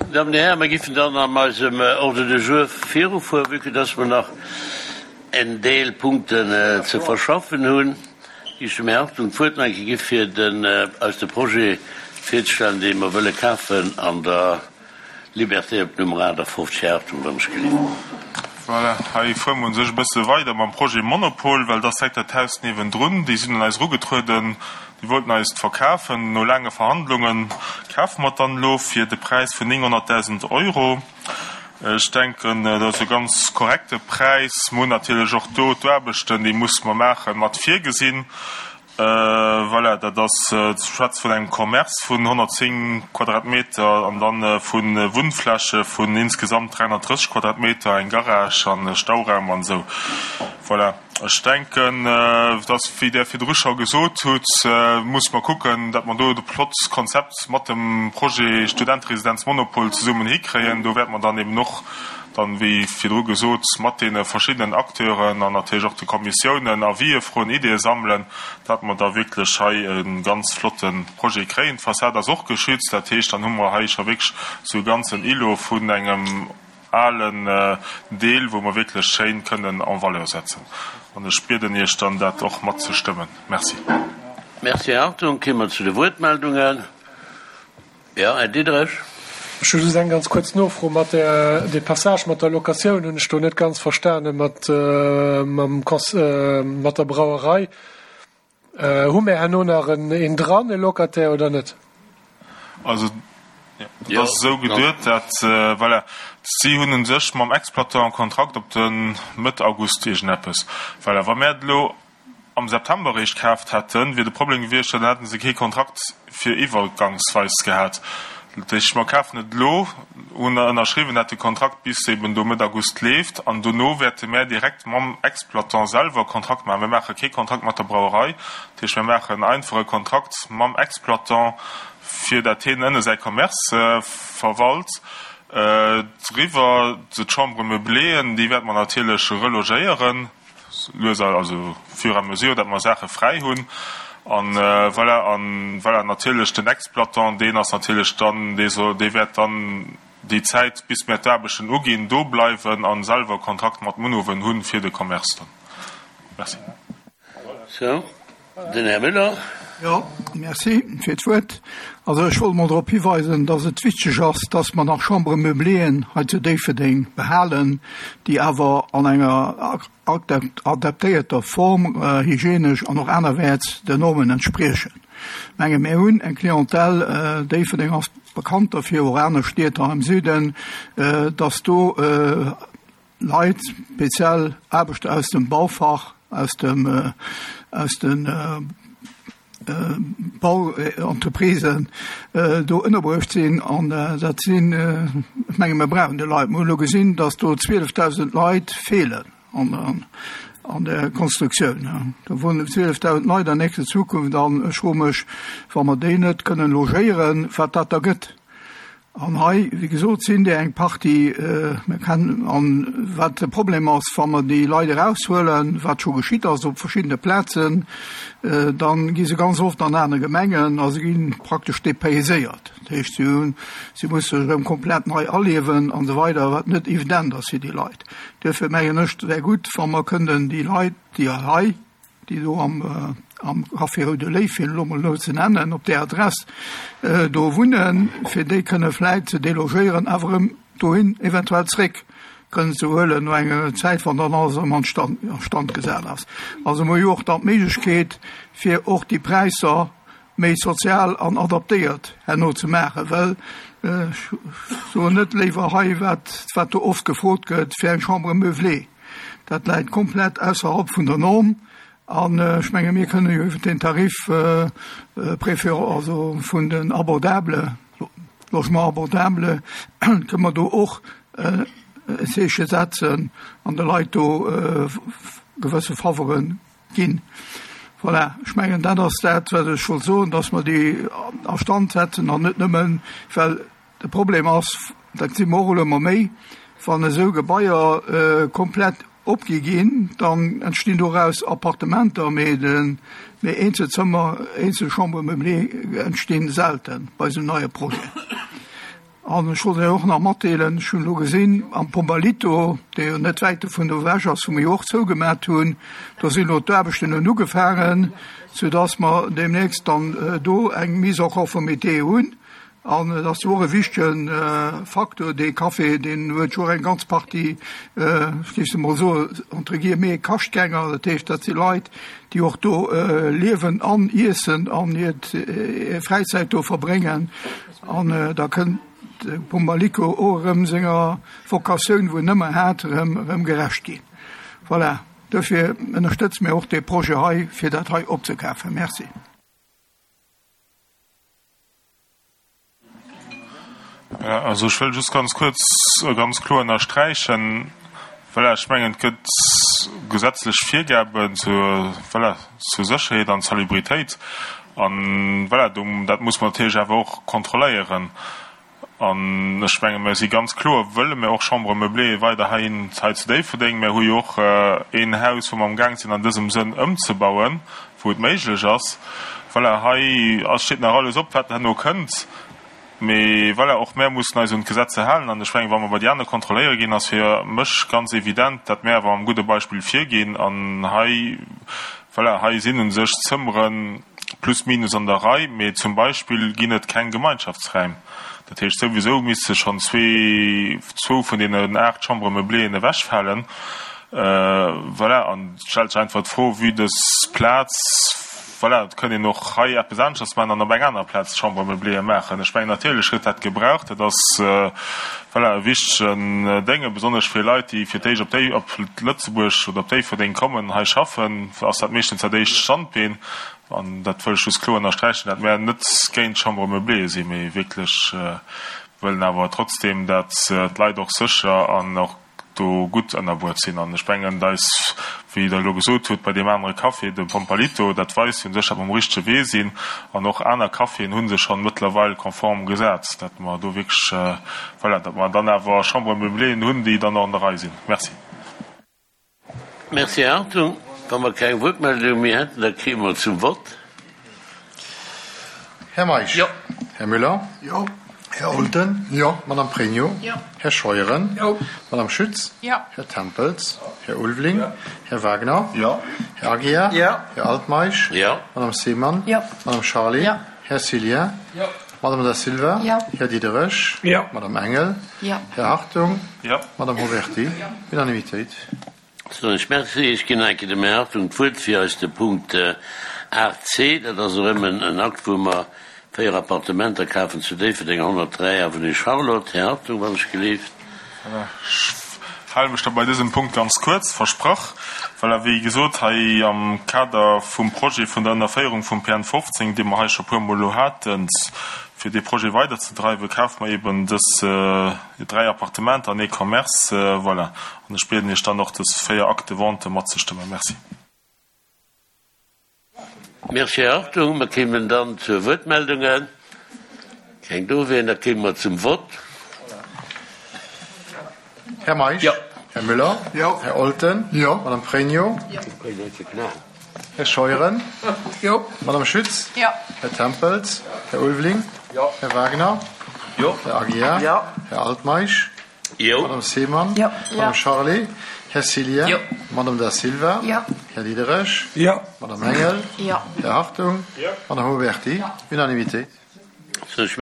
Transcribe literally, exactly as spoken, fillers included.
Damen und Herren, mir giffen dann an eisem Ordre du jour virufueren, vue que dass mer nach en Deel Punkten äh, ze verschaffen hunn. Ech dem Här Hartung d'Wuert nach eng Kéier gi fir den, äh, eis de Projet virzestellen, dee mer wëlle kafen an der Liberté op Nummer achtafofzeg. Här Hartung, wann ech gelift. Voilà, hei fuere mer u sech e bësse weider mam Projet Monopol, well dat ass direkt dat Haus niewendrun. Déi sinn un eis erugetrueden, déi wollten eis et verkafen. No laange Verhandlunge kafe mer et dann elo fir de Präis vun nénghonnertdausend Euro. Ech denken, dat ass e ganz korrekte Präis. Mer hunn natierlech och do d'Aarbechten, déi musse mer maachen, mat virgesinn. Voilà, dat ass, ech schwätze vun engem Commerce vun honnertzéng Quadratmeter an dann vu Wunnfläche vun insgesamt dräihonnertdrësseg Quadratmeter, eng Garage an e Stauraum an esou. Voilà, ech denken, dass, wéi Der virdru scho gesot hutt, musse mer kucken, datt mer do de flott Konzept mat dem Projet Studenteresidenz Monopol zesummen hikréien. Do wäerte mer dann eben och dann, wéi virdru gesot, mat deene verschiddenen Acteuren an natierlech och de Kommissiounen Avisë froen, Ideeë sammelen, datt mer da wierklech hei e ganz flotte Projet kréien. D'Fassad ass och geschützt, dat heescht, dann hu mer hei scho wierklech esou e ganzen Îlot vun engem alen Deel, wou mer wierklech schéin kënnen en valeur setzen. An ech bieden Iech dann, dat och matzestëmmen. Merci. Merci, Här Hartung. Kéime mer zu de Wuertmeldungen. Jo, Här Diderich. Ech hu just eng ganz kuerz Nofro. Mat där, dee Passage mat der Locatioun hunn ech do net ganz verstane mat, mam Cons, mat der Brauerei. Hu mir herno nach en, een dran, e Locataire, oder net? Also, dat ass esou geduet, dat, voilà, si hunn u sech mam Exploitant e Kontrakt op de Mëtt August iergendeppes. Voilà, wa mir et elo am September eréischt kaaft hätten, wier de Problem gewiescht, dann hätte se kee Kontrakt fir iwwergangsweis gehat. Dat heescht, mer kafen et elo, hunn ënnerschriwwen, dat de Kontrakt bis eben do Mëtt August leeft, an dono wäerte mär direkt mam Exploitant selwer e Kontrakt maachen. Mir maache kee Kontrakt mat der Brauerei, dat heescht, mir maachen einfach e Kontrakt mam Exploitant, fir dat hien ënne säi Commerce verwalt. Driwwer d'Chambre meubléeën, déi wäerte mer natierlech relogéieren, lues, also fur et à mesure, dat mer Saache fräi hunn. An voilà, an voilà, natierlech den Exploitant, deen ass natierlech dann, dee soll, dee wäert dann déi Zäit, bis mir d'Aarbechten uginn, do bleiwen a selwer Kontrakt mat Munhowen hunn fir de Commerce dann. Merci. Sou, den Här Müller. Jo, merci fir d'Wuert. Also ech wollt mol drop hiweisen, dass et wichteg ass, dass mer nach Chambres meublées hei zu Déifferdeng behalen, déi awer an enger adaptéierter Form, hygienesch an och anerwäerts den Normen entspriechen. Ech menge mir hunn eng Clientèle, Déifferdeng ass bekannt derfir, och aner Stied hei am Süden, dass do Leit, speziell Aarbechter aus dem Baufach, aus dem, aus den Bauentreprisen do ënnerbruecht sinn. An dat sinn, ech menge mir brauchen déi Leit. Mir hunn elo gesinn, datt do zwielefdausend Leit feelen an an der Constructioun. Do wunnen zwielefdausend Leit an nächster Zukunft an ech froe mech, wa mer déi net kënnen logéieren, wat dat da gëtt. An hei, wéi gesot, sinn der eng Partie, mir kennen, an wat de Problem ass, wa mer déi Leit eraushuelen, wat scho geschitt ass op verschiddene Plazen, dann gi se ganz oft an aner Gemengen a se gi praktesch dépayséiert. Dat heescht, si hunn, si musse sech erëm komplett nei aliewen an esou weider, wat net evident ass fir déi Leit. Duerfir mengen ech, et wär gutt, wa mer kënnen déi Leit, déi hei, déi do am, am Café Roude Léiw, fir elo mol elo ze nennen, op där Adress do wunnen, fir déi kënne vläit ze delogéieren, awer erëm dohin eventuell zréck kënnen ze huelen no enger Zäit, wann dann alles erëm an Stand, a Stand gesat ass. Also mer hu jo och dann d'Méiglechkeet, fir och déi Präisser méi sozial an adaptéiert herno ze maachen, well ech soen net léiwer hei, wat, wat do oft gefrot gëtt fir eng Chambre meublée, dat läit komplett ausserhalb vun der Norm. An ech menge mir kënne jo iwwer den Tarif préféré, also vun den abordable, Logement abordable, kënne mer do och e Zeeche setzen an de Leit do gewësse Faveuren ginn. Voilà, ech mengen dat ass dat, wat ech wollt soen, dass mer déi a Stand setzen an net nëmmen, well de Problem ass, dat gesi mer och elo ëmmer méi, wann esou Gebaier komplett opgi ginn, dann entstinn doraus Appartementer, mee de mee Eenzelzëmmer, eenzel Chambres meublées entstinn selten bei esou neie Projeten. An ech wollt Iech och nach matdeelen, ech hunn elo gesinn, am Pombalito, dee jo net wäit dovun ewech ass, wou mir jo och zougemat hunn, do sinn elo d'Aarbechten hunn ugefaangen, soudass mer deemnächst dann do eng Mise en conformité hunn. An et ass jo och e wichtege Faktor, dee Café, deen huet jo och eng ganz Partie, ech géif se emol soen, entre guillemets, Kaschtgänger. Dat heescht, dat si Leit, déi och do liewen an iessen an hir Fräizäit do verbréngen. An da kënnt de Pombaliko och erëm senger Vocatioun, wou en ëmmer hat, erëm, erëm gerecht ginn. Voilà, dofir ënnerstëtze mir och dee Projet hei, fir dat hei opzekafen. Merci. Also ech wëll just ganz kuerz a ganz kloer ënnersträichen, voilà, ech mengen, et gëtt gesetzlech Virgaben zur, voilà, zur Sécherheet an Salubritéit. An, voilà, do, dat muss mer natierlech awer och kontrolléieren. An ech menge mir si ganz kloer, wëlle mir och Chambres meublées weider hei, hei zu Déifferdeng. Mir hu jo och een Haus, wou mer amgaang sinn an dësem Sënn ëmzebauen, wou et méiglech ass. Voilà, hei ass, steet nach alles op, wat herno kënnt. Mee voilà, och mär mussen eis un d'Gesetzer halen. An ech mengen, wa mer bei déi aner kontrolléiere ginn, ass fir mech ganz evident, datt mär awer mam gudde Beispill virginn. An hei, voilà, hei sinn u sech d'Zëmmere plus minus an der Rei, mee zum Beispill ginn et keng Gemeinschaftsräim. Dat heescht, souwisou misste schonn zwee, zwou vun deenen aacht Chambres meubléeën ewechfalen. Voilà, an et stellt sech einfach d'Fro, vue dës Plaz, voilà, et kënnt een och hei eppes aneschters maachen an op eng aner Plaz Chambre meublée maachen. Ech mengen, natierlech gëtt dat gebraucht. Dat ass, voilà, e wichtegen Dénge, besonnesch fir Leit, déi fir d'éischt op déi, op Lëtzebuerg oder op Déifferdeng kommen, hei schaffen, ass dat meeschtens dat éischt Standbeen. An dat wëll ech just kloer ënnersträichen, dat mär net géint Chambre meublée sinn, mee wierklech wëllen awer trotzdem, dat d'Leit och sécher an och do gutt ënnerbuert sinn. An ech mengen, et eis, wéi Der elo gesot hutt, bei deem anere Café, dem Pompalito, dat weist jo u sech, datt mer um richtege Wee sinn. An och aner Caféen hu sech schonn mëttlerweil konform gesat, datt mer do wierklech, voilà, datt mer dann awer Chambres meublées hunn, déi dann och an der Rei sinn. Merci. Merci, Här Hartung. Wa mer keng Wuertmeldung méi hätten, da kéime mer zum Vott. Här Meisch. Jo. Här Müller. Jo. Här Olten. Jo. Madame Pregno. Jo. Här Scheuren. Jo. Madame Schütz. Jo. Här Tempels. Här Ulveling. Jo. Här Wagner. Jo. Här Aguiar. Jo. Här Altmeisch. Jo. Madame Seemann. Jo. Madame Charlé. Jo. Här Cillien. Jo. Madame Da Silva. Jo. Här Diderich. Jo. Madame Engel. Jo. Här Hartung. Jo. Madame Mauberti. Jo. Unanimitéit. Soen ech Merci. Ech ginn enke dem Här Hartung d'Wuert fir eis de Punkt aacht C, dat ass erëm en Akt, wou mer véier Appartementer kafen zu Déifferdeng, honnertdräi Avenue Charlotte. Här Hartung, wann ech gelift. Ech hale mech da bei dësem Punkt ganz kuerz, versprach. Voilà, wéi gesot, hei am Kader vum Projet vun der Ënnerféierung vum P N fofzéng, dee mer hei scho puermol elo haten, fir dee Projet weiderzedreiwen, kafe mer eben dës dräi Appartementer an ee Commerce. Voilà. An ech bieden Iech dann och, dës véier Actes de vente matzestëmmen. Merci. Merci, Här Hartung. Mer kéimen dann zur Wuertmeldungen. Keng do wieren, da kéime mer zum Vott. Här Meisch. Jo. Här Müller. Jo. Här Olten. Jo. Madame Pregno. Jo. Här Scheuren. Jo. Madame Schütz. Jo. Här Tempels. Här Ulveling. Jo. Här Wagner. Jo. Här Aguiar. Jo. Här Altmeisch. Jo. Madame Seemann. Jo. Madame Charlé. Här Cillien. Jo. Madame Da Silva. Jo. Här Diderich. Jo. Madame Engel. Jo. Här Hartung. Jo. Madame Mauberti. Jo. Unanimité. Soen ech